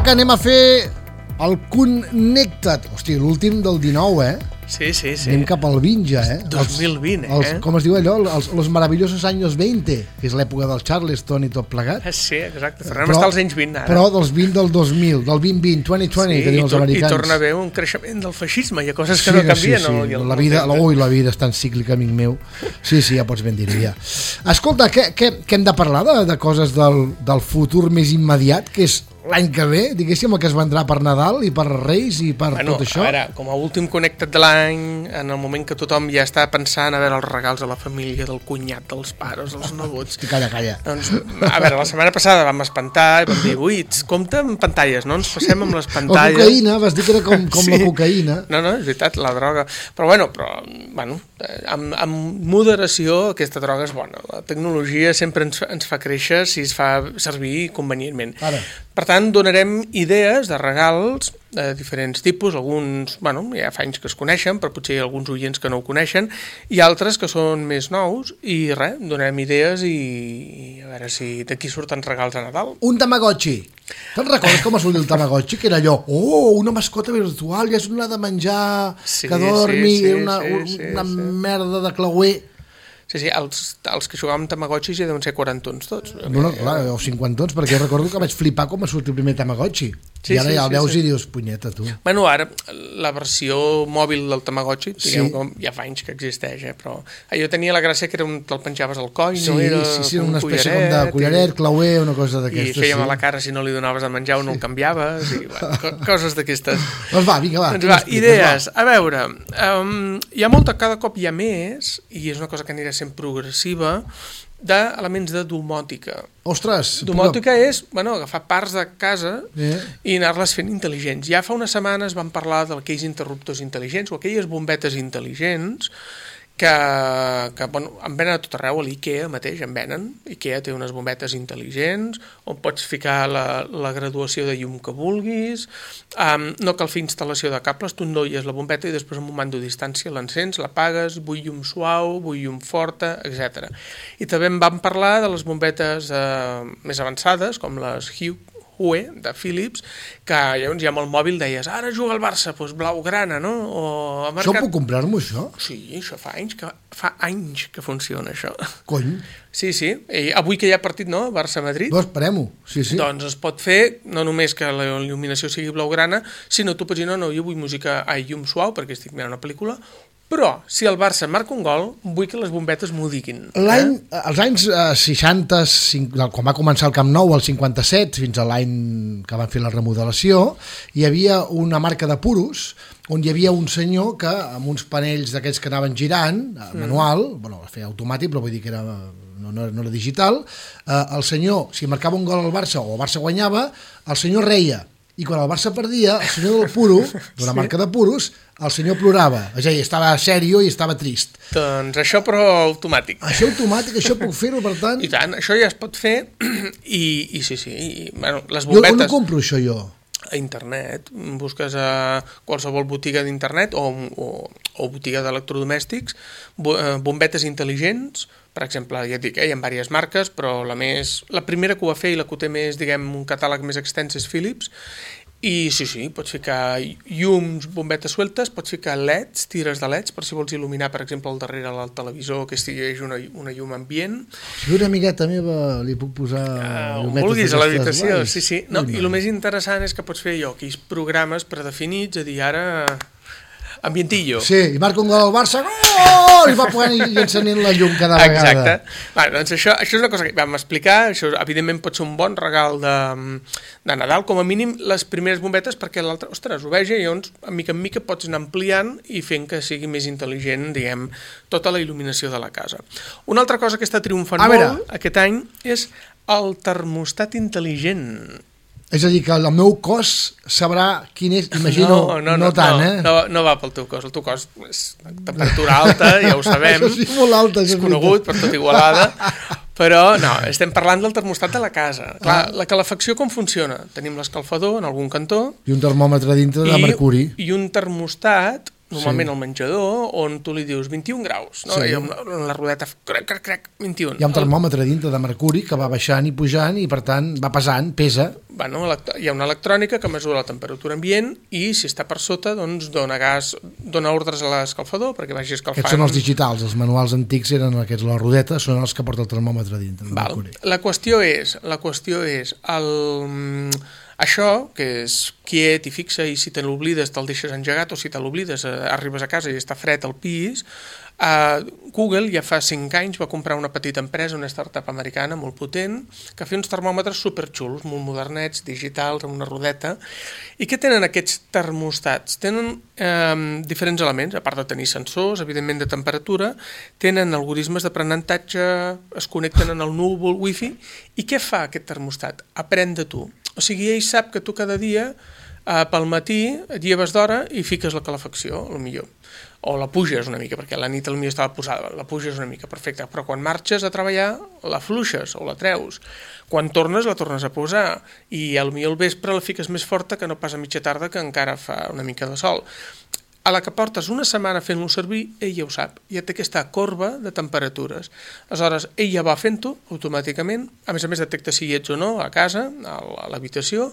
que anem a fer el Connecta't. Hòstia, l'últim del 19, Sí. Anem cap al 20 ja, 2020, Com es diu allò? Els maravillosos anys 20, que és l'època del Charleston i tot plegat. Sí, exacte. Tornem a estar als anys 20 ara. Però dels 20 del 2000, del 2020, 2020, que diuen els americans. I torna a haver un creixement del feixisme. Hi ha coses que no canvien. Sí. La vida és tan cíclica, amic meu. Sí, ja pots ben dir-ho, ja. Escolta, què hem de parlar de coses del futur més immediat, que és l'any que ve, diguéssim, el que es vendrà per Nadal i per Reis i per tot això? A veure, com a últim Connecta't de l'any, en el moment que tothom ja està pensant a veure els regals de la família, del cunyat, dels pares, dels nebots... Calla. Doncs, a veure, la setmana passada vam espantar i vam dir, ui, compte amb pantalles, no ens passem amb les pantalles... La cocaïna, vas dir que era com sí. La cocaïna. No, és veritat, la droga. Però amb moderació aquesta droga és bona. La tecnologia sempre ens fa créixer si es fa servir convenientment. Ara. Per tant, donarem idees de regals de diferents tipus, alguns, ja fa anys que es coneixen, però potser hi ha alguns oients que no ho coneixen, i altres que són més nous, i res, donarem idees i a veure si d'aquí surten regals a Nadal. Un Tamagotchi. Te'n recordes com es volia el Tamagotchi? Que era allò, una mascota virtual, ja és una de menjar, que dormi, una merda de clauer. Sí, els que jugàvem Tamagotxis ja deuen ser 40 tots. No, clar, o 50, perquè recordo que vaig flipar com va sortir el primer Tamagotchi. I ara ja el veus i dius, punyeta, tu. Bueno, ara, la versió mòbil del Tamagotchi, diguem com ja fa anys que existeix, però jo tenia la gràcia que te'l penjaves al coll, no era una espècie com de collaret, clauer, una cosa d'aquestes. I feia mala cara si no li donaves a menjar o no el canviaves, i coses d'aquestes. Doncs va, vinga, va. Idees, a veure, hi ha cada cop hi ha més, i és una cosa que anirà sent progressiva, d'elements de domòtica. Ostres! Domòtica és, agafar parts de casa i anar-les fent intel·ligents. Ja fa unes setmanes vam parlar d'aquells interruptors intel·ligents o aquelles bombetes intel·ligents que en venen a tot arreu, a l'IKEA mateix en venen. IKEA té unes bombetes intel·ligents on pots ficar la graduació de llum que vulguis, no cal fer instal·lació de cables, tu endolles la bombeta i després amb un mando a distància l'encens, l'apagues, vull llum suau, vull llum forta, etc. I també en vam parlar de les bombetes més avançades, com les Hue de Philips, que llavors ja amb el mòbil deies, ara juga al Barça, doncs blaugrana, no? Això puc comprar-m'ho, això? Sí, això fa anys que funciona, això. Cony? Sí, i avui que hi ha partit, no? Barça-Madrid. Doncs esperem-ho, sí. Doncs es pot fer, no només que la il·luminació sigui blaugrana, sinó tu pots dir, no, jo vull llum suau, perquè estic mirant una pel·lícula, però, si el Barça marca un gol, vull que les bombetes m'ho diguin. Els anys 60, quan va començar el Camp Nou, el 57, fins a l'any que van fer la remodelació, hi havia una marca de puros, on hi havia un senyor que, amb uns panells d'aquests que anaven girant, manual, feia automàtic, però vull dir que no era digital, el senyor, si marcava un gol al Barça o el Barça guanyava, el senyor reia. I quan el Barça perdia, el senyor del puro, d'una marca de puros, el senyor plorava. És a dir, estava sèrio i estava trist. Doncs això, però automàtic. Això automàtic, això puc fer-ho, per tant... I tant, això ja es pot fer i sí. Les bombetes... Jo on ho compro, això, jo? A internet. Busques a qualsevol botiga d'internet o botiga d'electrodomèstics, bombetes intel·ligents. Per exemple, ja et dic, hi ha diverses marques, però la primera que ho va fer i la que ho té més, un catàleg més extens és Philips. I sí, pots ficar llums, bombetes sueltes, pots ficar leds, tires de leds, per si vols il·luminar, per exemple, al darrere del televisor, que estigui una llum ambient. Si una amigueta meva li puc posar llumetes vulguis a l'habitació, sí. No, i el més interessant és que pots fer aquells programes predefinits, a dir, ara... ambientillo. Sí, i marca un gol al Barça, gol! I va posant i encenent la llum cada vegada. Exacte. Doncs això és una cosa que vam explicar, això evidentment pot ser un bon regal de Nadal, com a mínim les primeres bombetes, perquè l'altre, ostres, ho veja, i llavors, mica en mica pots anar ampliant i fent que sigui més intel·ligent, tota la il·luminació de la casa. Una altra cosa que està triomfant molt aquest any és el termostat intel·ligent. És a dir, que el meu cos sabrà quin és, imagino, no tant, No va pel teu cos, el teu cos és temperatura alta, ja ho sabem, això sí, molt alta, és conegut per tot Igualada, però no, estem parlant del termostat de la casa. Clar, la calefacció com funciona? Tenim l'escalfador en algun cantó. I un termòmetre dintre de mercuri. I un termostat normalment al menjador, on tu li dius 21 graus, no? I amb la rodeta crec, 21. Hi ha un termòmetre dintre de mercuri que va baixant i pujant i per tant va pesant, pesa. Bueno, hi ha una electrònica que mesura la temperatura ambient i si està per sota doncs dona ordres a l'escalfador perquè vagi escalfant. Aquests són els digitals, els manuals antics eren aquests, la rodeta són els que porta el termòmetre dintre. La qüestió és això, que és quiet i fixa, i si te l'oblides te'l deixes engegat, o si te l'oblides arribes a casa i està fred al pis. Google ja fa 5 anys va comprar una petita empresa, una startup americana molt potent, que feia uns termòmetres superxulos, molt modernets, digitals, amb una rodeta. I què tenen aquests termostats? Tenen diferents elements, a part de tenir sensors, evidentment de temperatura, tenen algoritmes d'aprenentatge, es connecten en el núvol, wifi, i què fa aquest termostat? Aprèn de tu. O sigui, ell sap que tu cada dia pel matí et lleves d'hora i fiques la calefacció, potser. O la puges una mica, perquè a la nit potser estava posada, la puges una mica, perfecte. Però quan marxes a treballar, la fluixes o la treus. Quan tornes, la tornes a posar. I potser al vespre la fiques més forta que no pas a mitja tarda, que encara fa una mica de sol. A la que portes una setmana fent-lo servir, ell ja ho sap, ja té aquesta corba de temperatures. Aleshores, ell ja va fent-ho automàticament, a més detecta si hi ets o no a casa, a l'habitació,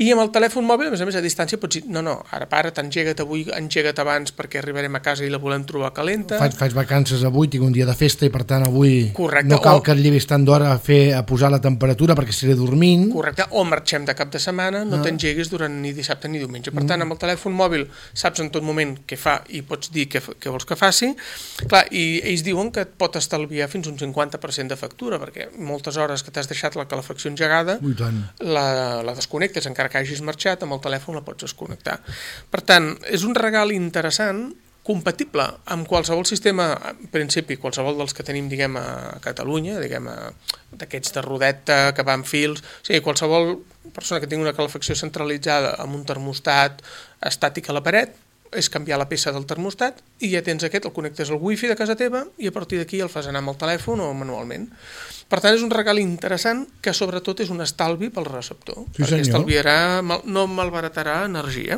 i amb el telèfon mòbil, a més a distància, pots dir, no, ara para, engega't avui, engega't abans perquè arribarem a casa i la volem trobar calenta. Faig vacances avui, tinc un dia de festa i per tant avui no cal que et llevis tant d'hora a posar la temperatura perquè estaré dormint. Correcte, o marxem de cap de setmana, no t'engeguis durant ni dissabte ni diumenge. Per tant, amb el telèfon mòbil saps en tot moment què fa i pots dir què vols que faci. Clar, i ells diuen que et pot estalviar fins un 50% de factura, perquè moltes hores que t'has deixat la calefacció engegada la desconnectes, encara que hagis marxat, amb el telèfon la pots desconnectar. Per tant, és un regal interessant, compatible amb qualsevol sistema, en principi, qualsevol dels que tenim, diguem, a Catalunya, diguem, d'aquests de rodeta que van fils, o sigui, qualsevol persona que tingui una calefacció centralitzada amb un termostat estàtic a la paret, és canviar la peça del termostat i ja tens aquest, el connectes al wifi de casa teva i a partir d'aquí el fas anar amb el telèfon o manualment. Per tant, és un regal interessant que sobretot és un estalvi pel receptor, perquè estalviarà, no malbaratarà energia.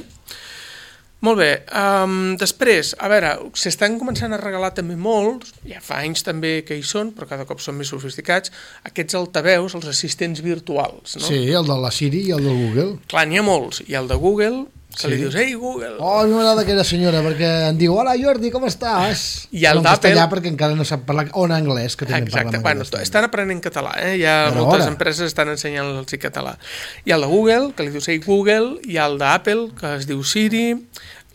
Molt bé, després, a veure, s'estan començant a regalar també molts, ja fa anys també que hi són, però cada cop són més sofisticats, aquests altaveus, els assistents virtuals. No? Sí, el de la Siri i el de Google. Clar, n'hi ha molts, hi ha el de Google, que li dius, ei, Google. Oh, a mi m'agrada aquella senyora, perquè em diu, hola, Jordi, com estàs? I el d'Apple... castellà, perquè encara no sap parlar, o en anglès, que també parlen anglès. Bueno, estan aprenent català, ja moltes empreses estan ensenyant-los català. Hi ha el de Google, que li dius, ei, Google, hi ha el d'Apple, que es diu Siri,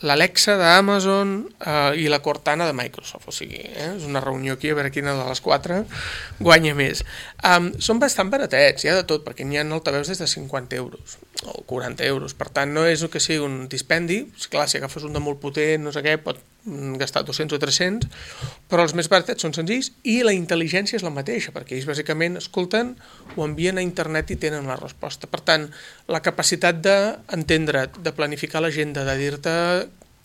l'Alexa d'Amazon i la Cortana de Microsoft, o sigui, és una reunió aquí a veure quina de les 4 guanya més. Són bastant baratets, hi ha de tot, perquè n'hi ha altaveus des de 50 euros o 40 euros, per tant no és que sigui un dispendi, clar, si agafes un de molt potent, no sé què, pot gastar 200 o 300, però els més baratets són senzills i la intel·ligència és la mateixa, perquè ells bàsicament escolten, ho envien a internet i tenen la resposta. Per tant, la capacitat d'entendre't, de planificar l'agenda, de dir-te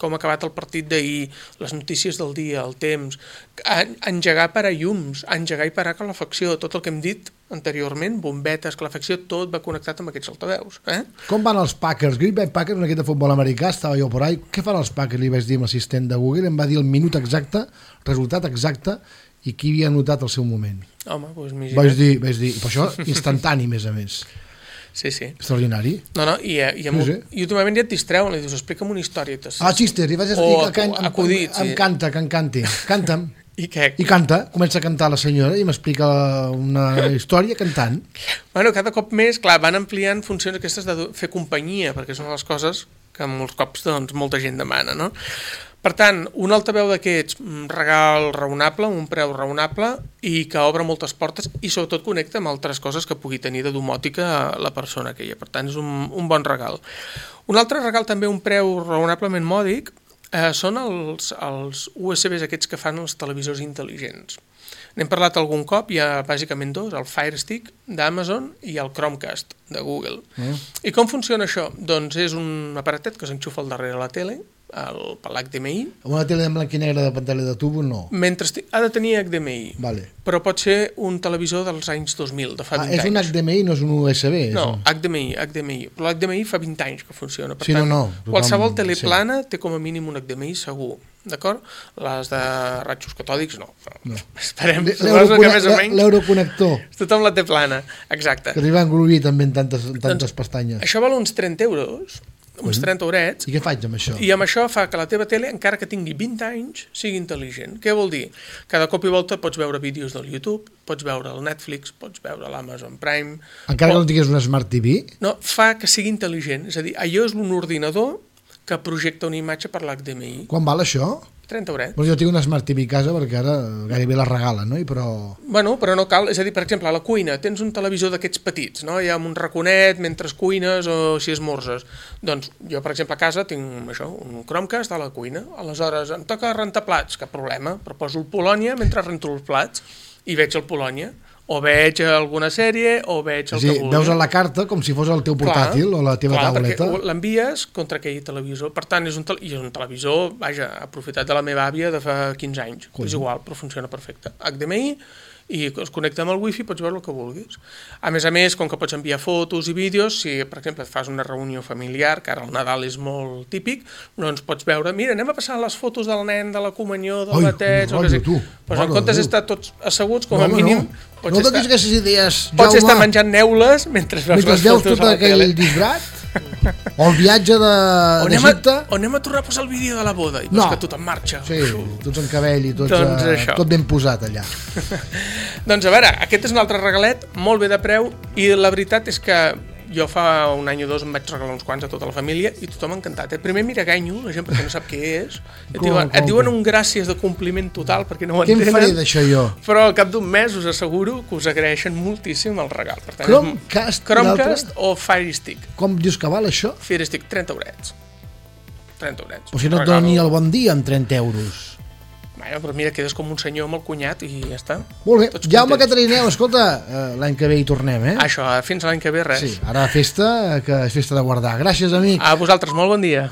com ha acabat el partit d'ahir, les notícies del dia, el temps, engegar parallums, engegar i parar calefacció, tot el que hem dit anteriorment, bombetes, calefacció, tot va connectat amb aquests altaveus. Com van els Packers? Green Bay Packers, un equip de futbol americà, estava jo por ahí. Què fan els Packers? Li vaig dir amb l'assistent de Google, em va dir el minut exacte, resultat exacte, i qui havia anotat el seu moment. Home, doncs m'hi vaig dir, per això instantani, més a més. Sí. Extraordinari. No, i últimament ja et distreuen, li dius, explica'm una història. Xistes, li vaig dir, acudits. Em canta, que en canti. Canta'm. I què? I canta, comença a cantar la senyora i m'explica una història cantant. Bueno, cada cop més, clar, van ampliant funcions aquestes de fer companyia, perquè són les coses que molts cops doncs, molta gent demana, no? Per tant, un altaveu d'aquests, regal raonable, un preu raonable i que obre moltes portes i sobretot connecta amb altres coses que pugui tenir de domòtica la persona aquella. Per tant, és un bon regal. Un altre regal també, un preu raonablement mòdic, són els USBs aquests que fan els televisors intel·ligents. N'hem parlat algun cop, hi ha bàsicament dos, el Fire Stick d'Amazon i el Chromecast de Google. I com funciona això? Doncs és un aparatet que s'enxufa al darrere la tele, per l'HDMI. Una tele en blanc i negre de pantalla de tubo, no? Ha de tenir HDMI, però pot ser un televisor dels anys 2000, de fa 20 anys. És un HDMI, no és un USB? No, HDMI. Però l'HDMI fa 20 anys que funciona. Per tant, qualsevol tele plana té com a mínim un HDMI segur. d'acord? Les de ratxos catòdics no. Esperem, suposo que més o menys l'euroconnector tothom la té plana, exacte, que t'hi van globir també en tantes pestanyes. Això val uns 30 euros, uns 30 eurets. I què faig amb això? I amb això fa que la teva tele, encara que tingui 20 anys, sigui intel·ligent. Què vol dir? Cada cop i volta pots veure vídeos del YouTube, pots veure el Netflix, pots veure l'Amazon Prime... Encara que no tingués una Smart TV? No, fa que sigui intel·ligent. És a dir, allò és un ordinador que projecta una imatge per l'HDMI. Quan val això? 30 eurets. Pues jo tinc una Smart TV a casa perquè ara gairebé la regalen, no? Però no cal. És a dir, per exemple, a la cuina tens un televisor d'aquests petits, no? Hi ha un raconet mentre cuines o si esmorzes. Doncs jo, per exemple, a casa tinc això, un Chromecast a la cuina. Aleshores, em toca rentar plats, cap problema, però poso el Polònia mentre rento els plats i veig el Polònia. O veig alguna sèrie, o veig el que vulgui. Veus a la carta com si fos el teu portàtil o la teva tauleta. Perquè l'envies contra aquell televisor. Per tant, és un televisor, vaja, aprofitat de la meva àvia de fa 15 anys. És igual, però funciona perfecte. HDMI, i es connecta amb el wifi, pots veure el que vulguis. A més, com que pots enviar fotos i vídeos, si, per exemple, fas una reunió familiar, que ara el Nadal és molt típic, doncs pots veure, mira, anem a passar les fotos del nen, de la comunió, del bateig, o què sé. Doncs en comptes d'estar tots asseguts, com a mínim, no donis aquestes idees, Jaume. Pots estar menjant neules mentre veus les fotos tot aquell disbrat, o el viatge d'Egipte. O anem a tornar a posar el vídeo de la boda i veus que tot en marxa. Sí, tots en cabell i tot ben posat allà. Doncs a veure, aquest és un altre regalet, molt bé de preu, i la veritat és que jo fa un any o dos em vaig regalar uns quants a tota la família i tothom encantat. Primer mira ganyo, la gent perquè no sap què és. Et diuen un gràcies de compliment total perquè no ho entenen. Què em faré d'això jo? Però al cap d'un mes us asseguro que us agraeixen moltíssim el regal. Per tant, Chromecast o Fire Stick. Com dius que val això? Fire Stick, 30 eurets. 30 eurets. Però si no et doni el bon dia amb 30 euros. Però mira, quedes com un senyor amb el cunyat i ja està. Molt bé. Jaume Catarineu, escolta, l'any que ve hi tornem, eh? Això, fins l'any que ve res. Sí, ara festa, que és festa de guardar. Gràcies, amic. A vosaltres, molt bon dia.